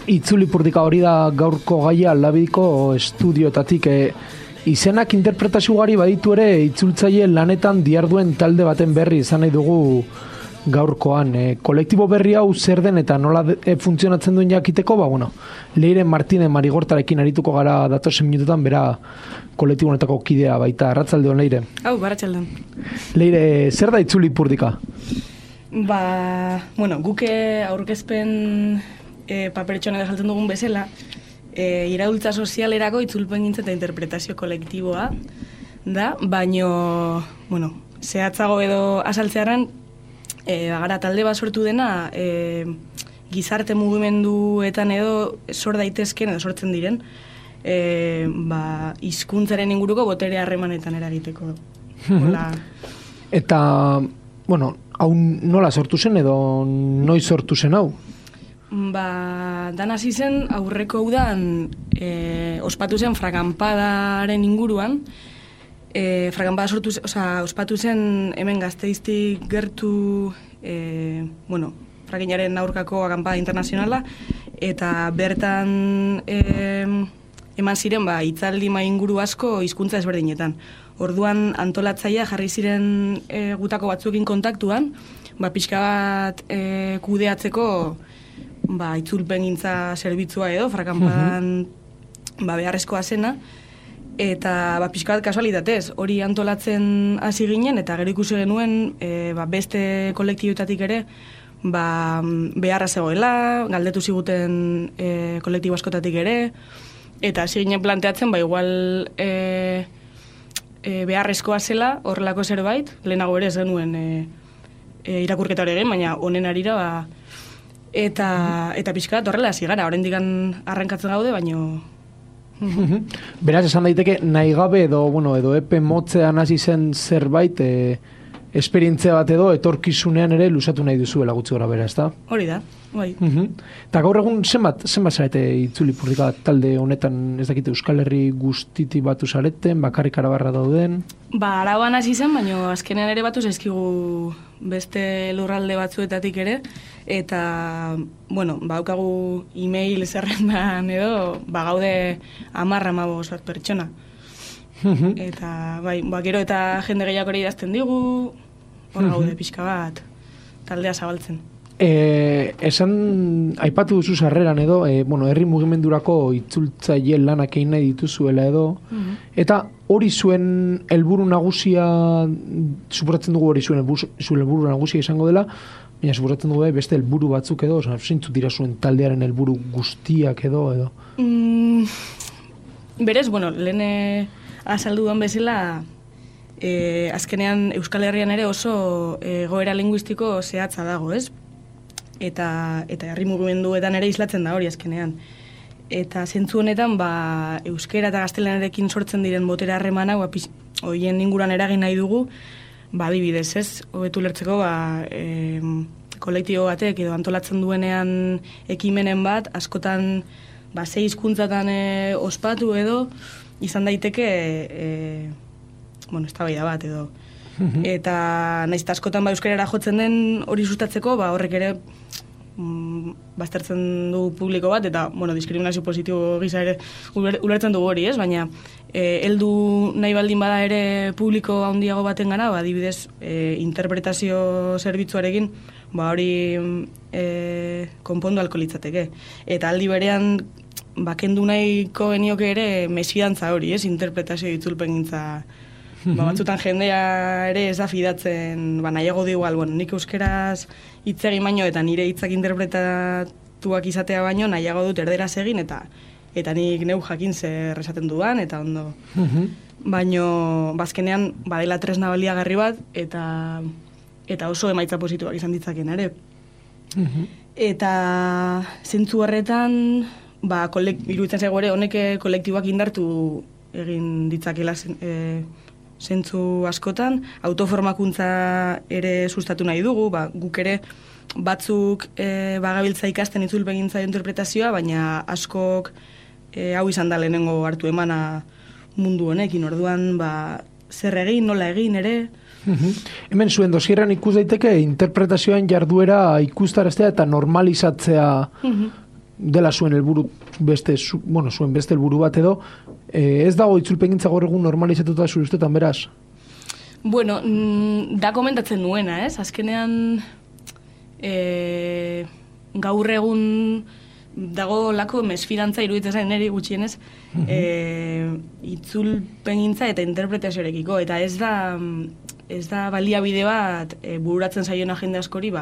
Itzulipurdika hori da gaurko gaia Labidiko estudiotatik. Izenak interpretazio ugari baditu ere, itzultzaile lanetan diharduen talde baten berri izan nahi dugu gaurkoan. Kolektibo berri hau zer den eta nola funtzionatzen duen jakiteko, Leire Martínez Marigortarekin arituko gara datozen minututan, bera kolektibo honetako kidea baita. Arratsaldeon, Leire. Hau, arratsaldeon. Leire, zer da Itzulipurdika? Guke aurkezpen paperetxoan edo jaltzen dugun bezala, iraultza sozialerako itzulpengintza eta interpretazio kolektiboa da, baino, zehatzago edo azaltzearen, gara talde bat sortu dena, gizarte mugimenduetan edo sor daitezken edo sortzen diren, hizkuntzaren inguruko botere harremanetan eragiteko. Eta, hau nola sortu zen edo noiz sortu zen hau? Dan hasi zen aurreko udan ospatu zen fraganpadaren inguruan. Fraganpada ospatu zen hemen Gasteiztik gertu fraginaren aurkako akanpada internazionala, eta bertan eman ziren hitzaldi inguru asko hizkuntza ezberdinetan. Orduan antolatzailea jarri ziren gutako batzuekin kontaktuan, pixka bat kudeatzeko itzulpengintza zerbitzua edo, frakanpadan beharrezkoa zena, eta pixka bat kasualitatez, hori antolatzen hasi ginen, eta gero ikusi genuen beste kolektiboetatik ere beharra zegoela, galdetu ziguten kolektibo askotatik ere, eta hasi ginen planteatzen, igual beharrezkoa zela horrelako zerbait, lehenago ere ez genuen irakurketa hori egin, baina honen arira eta pixka bat horrela hasi gara, oraindik arrankatzen gaude, baino... Beraz, esan daiteke, nahi gabe edo epe motzean hasi zen zerbait, esperientzia bat edo etorkizunean ere lusatu nahi duzuela gutxi gora bera, ezta? Hori da, bai. Eta gaur egun zenbat zarete Itzulipurdika talde honetan, ez dakite, Euskal Herri guztiti batu zareten, bakarrik Arabarra dauden? Araban hasi zen, baina azkenean ere batu zaizkigu beste lurralde batzuetatik ere, eta, baukagu e-mail zerrendan edo, gaude 10-15 bat pertsona. Eta, gero eta jende gehiago ere idazten digu, hor gaude pixka bat, taldea zabaltzen. Esan, aipatu duzu sarreran edo, herri mugimendurako itzultzaile lanak egin nahi dituzuela edo, eta hori zuen helburu nagusia, suposatzen dugu hori zuen helburu nagusia izango dela, baina suposatzen dugu beste helburu batzuk edo, zeintzuk dira zuen taldearen helburu guztiak edo? Berez, lehen azaldu duen bezala, azkenean Euskal Herrian ere oso egoera linguistiko zehatza dago, ez? Eta herri mugimenduetan ere islatzen da hori azkenean. Eta zentzu honetan, euskera eta gaztelanarekin sortzen diren botere harremana, horien inguruan eragin nahi dugu, adibidez, ez? Hobetu lertzeko, kolektibo batek edo antolatzen duenean ekimenen bat, askotan, 6 hizkuntzatan ospatu edo, izan daiteke, eztabaida bat edo. Eta nahiz askotan euskarara jotzen den hori sustatzeko, horrek ere baztertzen du publiko bat, eta, diskriminazio positibo gisa ere ulertzen dugu hori, ez? Baina, heldu nahi baldin bada ere publiko handiago baten gana, adibidez, interpretazio zerbitzuarekin, hori konpondu alko litzateke. Eta aldi berean, kendu nahiko genioke ere mesfidantza hori, ez? Interpretazio itzulpengintza. Batzutan jendea ere ez da fidatzen, nahiago du igual, nik euskeraz hitz egin baino eta nire hitzak interpretatuak izatea baino nahiago dut erderaz egin eta nik neu jakin zer esaten dudan eta ondo. Baino, bazkenean, badela tresna baliagarri bat eta oso emaitza positiboak izan ditzaken ere. Eta zentzu horretan, iruditzen zego ere, honek kolektiboak indartu egin ditzakela zentzu askotan, autoformakuntza ere sustatu nahi dugu, guk ere batzuk bagabiltza ikasten itzulpengintza interpretazioa, baina askok hau izan da lehenengo hartu emana mundu honekin, orduan zer egin, nola egin ere. Hemen zuen dosierran ikus daiteke interpretazioan jarduera ikustaraztea eta normalizatzea dela zuen helburu zuen beste helburu bat edo, ez dago itzulpengintza gaur egun normalizatuta zure ustetan, beraz? Bueno, da komentatzen nuena, ez? Azkenean, gaur egun dago lako mesfidantza iruditzen zain niri gutxienez, itzulpengintza eta interpretazioarekiko, eta ez da baliabide bat bururatzen zaiona jende askori,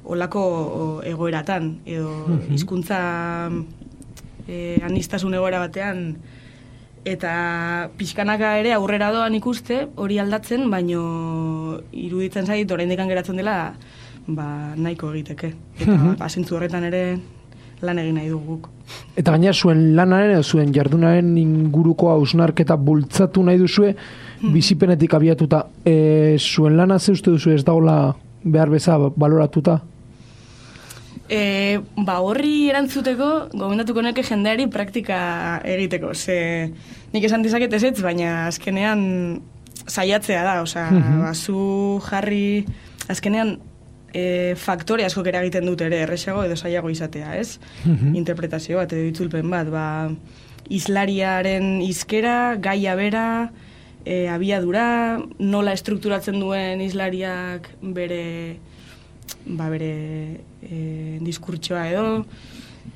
olako egoeratan, edo hizkuntza anistasun egoera batean, eta pixkanaka ere aurrera doan ikuste, hori aldatzen, baino iruditzen zait, oraindik geratzen dela, nahiko egiteke. Eta zentzu horretan ere lan egin nahi duguk. Eta gaina zuen lanaren edo zuen jardunaren inguruko hausnarketa bultzatu nahi duzue, bizipenetik abiatuta. Zuen lana ze uste duzu ez dagoela behar beza baloratuta? Horri erantzuteko, gomendatuko neke jendeari praktika egiteko. Nik esan dizaket ezetz, baina azkenean saiatzea da. Zu jarri, azkenean faktore asko eragiten dut ere, erresago edo saiago izatea, ez? Interpretazio bat edo itzulpen bat. Islariaren hizkera, gaia bera, abiadura, nola estrukturatzen duen islariak bere diskurtsoa edo.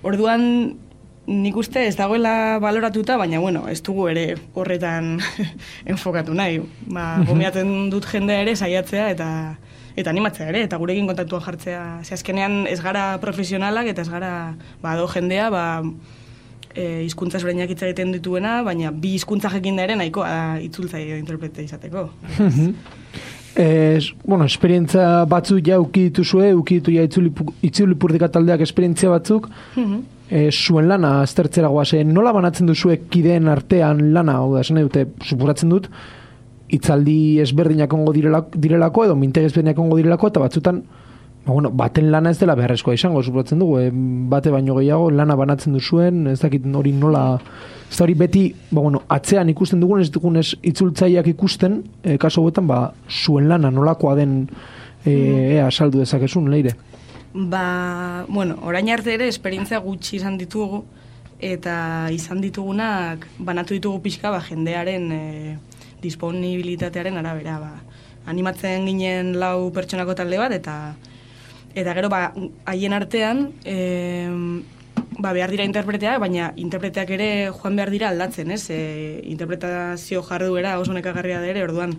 Orduan, nik uste ez dagoela baloratuta, baina, ez dugu ere horretan enfokatu nahi. Gomiatzen dut jendea ere saiatzea eta animatzea ere, eta gurekin kontaktuan jartzea. Azkenean ez gara profesionalak eta ez gara do jendea, hizkuntza ezberdinak hitz egiten dituena, baina bi hizkuntza jakin da ere nahikoa itzultzaile interprete izateko. Esperientza batzuk ja ukidituzue, ukiditu ja itzulipurdika taldeak esperientzia batzuk, zuen lana aztertzera goaz, nola banatzen duzue kideen artean lana, esan dute, supuratzen dut, hitzaldi ezberdinak ongo direlako, edo mintegi ezberdinak ongo direlako, eta batzutan, baten lana ez dela beharrezkoa izango, supuratzen dugu, bate baino gehiago, lana banatzen duzuen, ez dakit hori nola, ez da hori beti, atzean ikusten dugun, ez dugunez itzultzaileak ikusten, kaso hauetan, zuen lana nolakoa den, saldu dezakezun, Leire? Orain arte ere, esperientzia gutxi izan ditugu, eta izan ditugunak, banatu ditugu pixka, jendearen disponibilitatearen arabera, animatzen ginen 4 pertsonako talde bat, eta gero, haien artean, behar dira interpreteak, baina interpreteak ere joan behar dira aldatzen, ez? Interpretazio jarduera oso nekagarria da ere, orduan,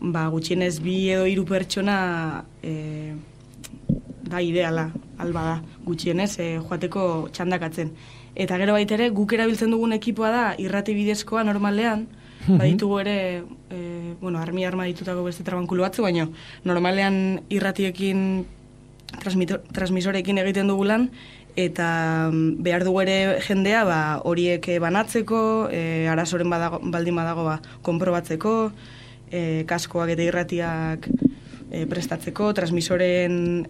gutxienez 2 edo 3 pertsona da ideala, alba da, gutxienez, joateko txandakatzen. Eta gero baitere, guk erabiltzen dugun ekipoa da, irrati bidezkoa normalean, baditugu ere, arma ditutako beste trabankulu batzu, baina normalean irratiekin, transmisorekin egiten dugu lan, eta behar dugu ere jendea horiek banatzeko, arazoren baldin badago konprobatzeko, kaskoak eta irratiak prestatzeko, transmisoren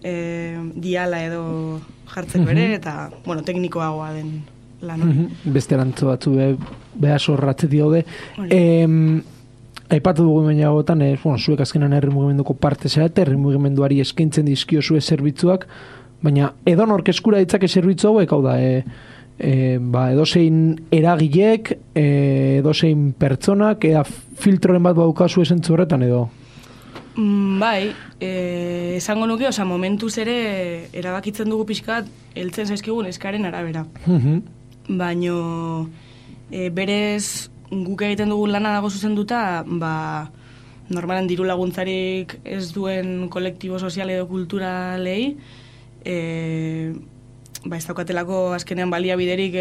diala edo jartzeko ere, eta teknikoagoa den lan. Beste erantzu batzu behar sorratzeti daude. Aipatu dugu menagotan, zuek azkenan herri mugimenduko parte zarete, herri mugimenduari eskaintzen dizkio zue zerbitzuak, baina edonork eskura ditzake zerbitzu hauek, hau da, edozein eragilek, edozein pertsonak, filtroren bat baukazu esentzu horretan edo? Esango nuke, momentuz ere erabakitzen dugu pixkat heltzen zaizkigun eskaren arabera. Baino berez guk egiten dugun lana dago zuzenduta, normalen diru laguntzarik ez duen kolektibo sozial edo kulturalei, ez daukatelako azkenean baliabiderik,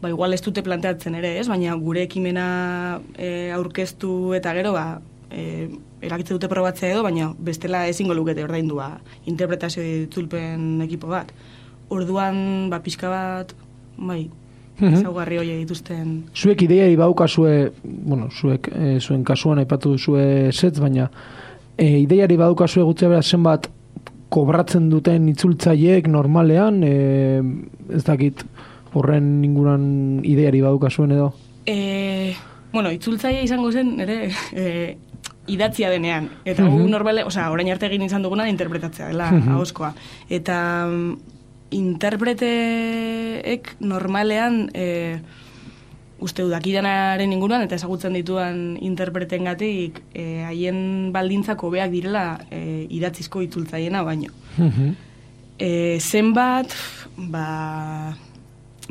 igual ez dute planteatzen ere, ez? Baina gure ekimena aurkeztu eta gero, erakitzen dute probatzea edo, baina bestela ezingo lukete ordaindu interpretazio itzulpen ekipo bat. Orduan, pixka bat, ezaugarri hori dituzten. Zuek ideiari baukazue, zuek zuen kasuan aipatu duzue setz, baina ideiari baukazue gutzea bera zenbat kobratzen duten itzultzaileek normalean, ez dakit horren inguran ideiari baukazuen edo? Itzultzaile izango zen, ere, idatzia denean. Eta normale, orain arte egin izan duguna interpretatzea dela ahozkoa. Eta interpreteek normalean uste dakidanaren inguruan eta ezagutzen dituan interpretengatik haien baldintzak hobeak direla idatzizko itzultzaiena baino. Zenbat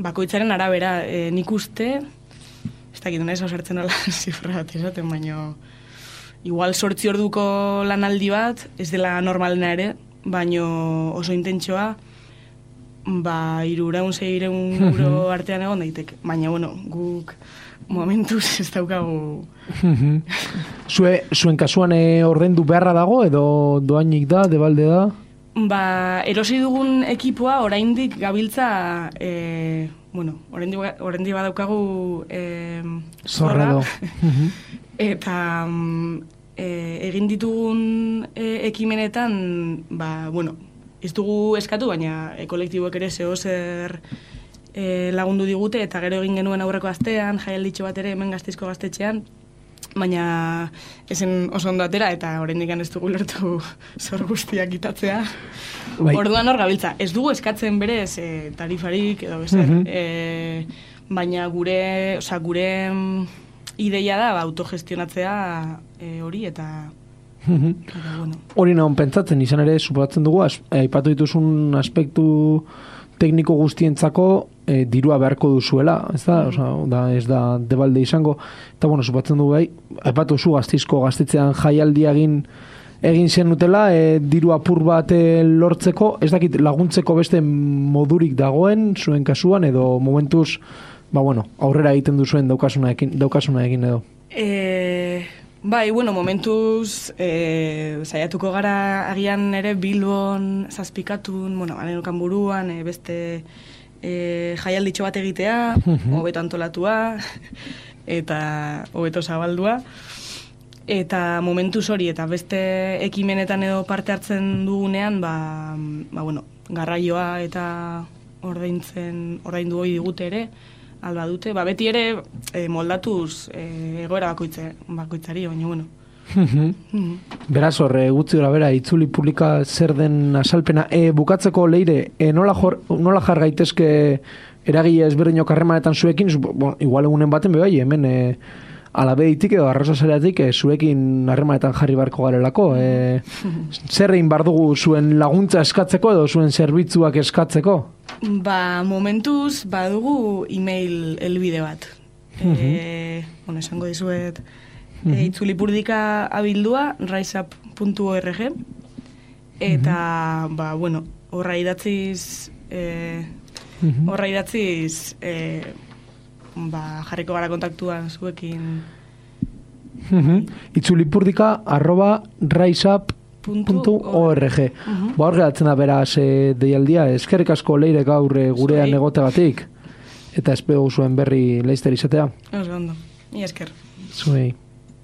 bakoitzaren arabera nik uste ez dakit naiz osartzen ala zifra bat esaten, baino igual 8 orduko lanaldi bat ez dela normalena ere, baino oso intentsoa 300-600 euro artean egon daiteke. Baina, bueno, guk momentuz ez daukagu. Zuen kasuan ordaindu beharra dago edo doainik da, debalde da? Erosi dugun ekipoa oraindik gabiltza, oraindik badaukagu zorra. Eta egin ditugun ekimenetan, ez dugu eskatu, baina kolektiboek ere zer lagundu digute, eta gero egin genuen aurreko astean, jaialditxo bat ere hemen Gasteizko gaztetxean, baina esen oso ondo atera, eta oraindik ez dugu lertu zor guztiak itatzea. Orduan hor gabiltza. Ez dugu eskatzen berez tarifarik edo bezer, baina gure ideia da autogestionatzea hori eta hori nahon pentsatzen, izan ere suposatzen dugu, aipatu dituzun aspektu tekniko guztientzako dirua beharko duzuela, ez da, ez da debalde izango, eta suposatzen dugu aipatu zu Gasteizko gaztetxean jaialdia egin zen utela, diru apur bat lortzeko, ez dakit laguntzeko beste modurik dagoen zuen kasuan, edo momentuz aurrera egiten duzuen daukasuna egin edo. Momentuz saiatuko gara agian ere Bilbon zazpikatun, anerokan buruan, beste jaialditxo bat egitea, hobeto antolatua, eta hobeto zabaldua. Eta momentuz hori, eta beste ekimenetan edo parte hartzen dugunean, garraioa eta ordaindu hori digute ere, alba dute, beti ere moldatuz egoera bakoitzari, baina Beraz hor, gutzi gora bera, itzuli publika zer den asalpena. Bukatzeko Leire, nola jar gaitezke eragile ezberdinok harremanetan zuekin, igual egunen baten bebai, hemen alabeitik edo arrasasareatik zuekin harremanetan jarri barko garelako. Zer egin bar dugu zuen laguntza eskatzeko edo zuen zerbitzuak eskatzeko? Momentuz badugu email helbide bat. Esango dizuet itzulipurdika abildua riseup.org eta horra idatziz jarriko gara kontaktuan zuekin. itzulipurdika@riseup.org. Hor geratzen da beraz deialdia. Eskerrik asko Leire gaur gurean egotegatik eta espero zuen berri laizter izatea. Oso ondo. Ni esker. Zuei.